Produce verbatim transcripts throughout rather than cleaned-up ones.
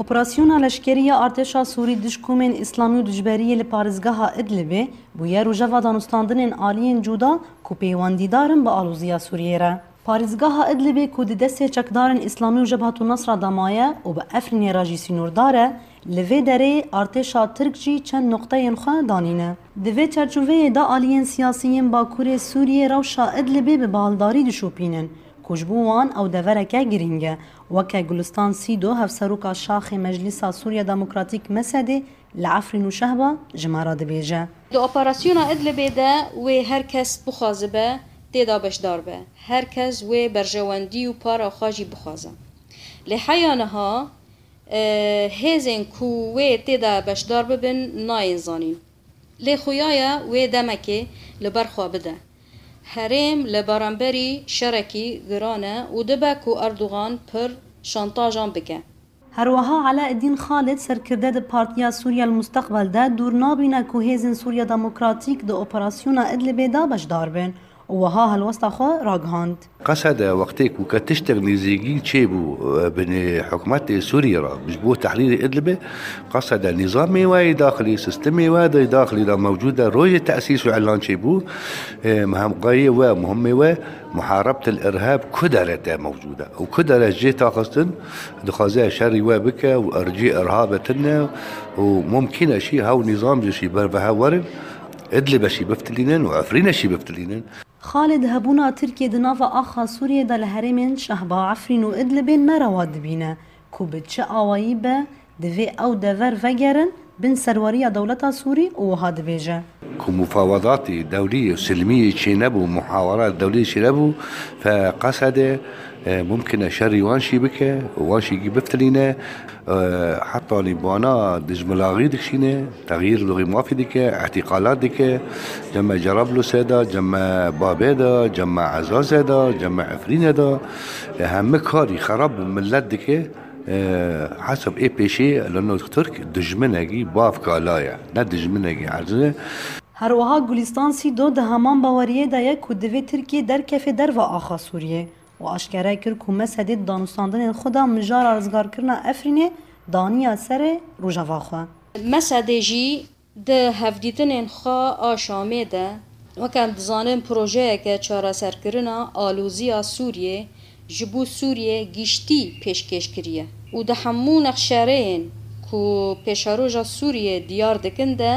Operasyona leşkerî ya artêşa Sûrî dij komên Îslamî û dijberiyê li parêzgeha Idlibê bûye rojeva danûstandinên aliyên cuda ku pêwendîdar in bi aloziya Sûriyê re. Parêzgeha Idlibê ku di destê çekdarên Îslamî û Jebhetu Nesra de maye û bi Efrînê re jî sînordar e, li vê derê artêşa Tirk jî çend noqteyên xwe danîne. Di vê çerçoveyê de aliyên siyasî yên Bakurê Sûriyê rewşa Idlibê bi baldarî dişopînin ku ji bo wan ew devereke girîng e. Weke Gulistan Sîdo, hevseroka şaxê Meclîsa Sûriya Demokratîk, mesedê, li Efrîn û Şehba ji me re dibêje. Di operasyona Idlibê de wê her kes bixwazibe tê de beşdar be. Her kes wê berjewendî û para xwe jî bixwaze. Lê heya niha, e, hêzên ku wê tê de beşdar bibin nayên zanîn. Lê xuya ye wê demekê li ber xwe bide. Herêm li beramberî şerekî giran e û dibe ku Erdogan pir şantajan bike. Her wiha Eleeddîn Xalid, serkirde di Partiya Sûriya El Musteqbel de, dûr nabîne ku hêzên Sûriya Demokratîk di operasyona Idlibê de beşdar bin û wiha helwesta xwe ragihand. Qesede wextê ku ke tiştek nêzîkî çêbû, e, binê hikûmetê Sûriyê re ji bo tehrîrê Idlibê, qesede nîzamê we yê daxilî, sistemê we de daxilî de mewcûd e, rojê tesîs û îlan çêbû, e, hemqayê we, muhimmê we, muharebtel îrhab ku dere te mewcûd e û ku dere jê taxistin, dixwaze şerî we bike û ercî îrhab e tine û mumkîn e şî hew nîzam jî şî ber ve hev werin, Idlibê şî biftilînin û Efrînê şî biftilînin. Xalid, hebûna Tirkiyê di nava axa Sûriyê de li herêmên Şehba, Efrîn û Idlibê ne rewa dibîne ku bi çi awayî be, divê ew dever vegerin bin serweriya dewleta Sûrî û wiha dibêje. Ku mufawedatê dewlî û silmî çênebû, muhawara dewlî çênebû, fe qesede, e, mumkin e şerî wan şî bike û wan şî biftilîne. E, hetanî bana dijmilaxî dikişîne, texyîr luxî mafî dike, îhtîqalat dike, cem me Cerablusê de, cem me Babê de, cem me Ezazê de, cem me Efrînê de, e, hemî karî xerab bi milet dike, e, hesab ê pêşî li nod Tirk dijminekî bavkala ye, ne dijminekî erziz e. Her wiha Gulîstan Sîdo di heman baweriyê de ye ku divê Tirkiye derkefe derva axa Sûriyê. û aşkere kir ku Mesedê di danûstandinên xwe de mijara rizgarkirina Efrînê daniya serê rojeva xwe. Mesedê jî di hevdîtinên xwe a Şamê de, weke em dizanin, projeyeke çareserkirina aloziya Sûriyê ji bo Sûriyê giştî pêşkêş kiriye û di hemû nexşereyên ku pêşeroja Sûriyê diyar dikin de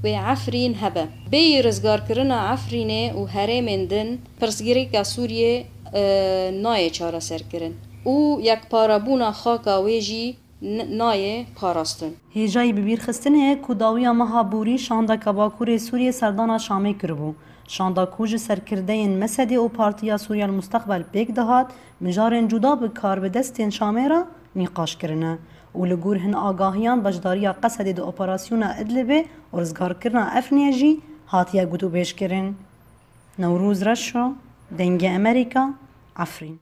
wê Efrîn hebe. Bêyî rizgarkirina Efrînê û herêmên din, pirsgirêka Sûriyê, e, nayê çareserkirin û yekparebûna xaka wê jî n-, nayê parastin. Hêjayî bibîrxistinê ye ku dawiya meha borî şandeka Bakurê Sûriyê serdana Şamê kiribû. Şanda ku ji serkirdeyên Mesedê û Partiya Sûriya El Musteqbel pêk dihat, mijarên cuda bi karbidestên Şamê re nîqaş kirine û li gor hin agahiyan beşdariya Qesedê di operasyona Idlibê û rizgarkirina Efrînê jî hatiye gotûbêjkirin. Newroz Reşo, Dengê Emerîka, Efrîn.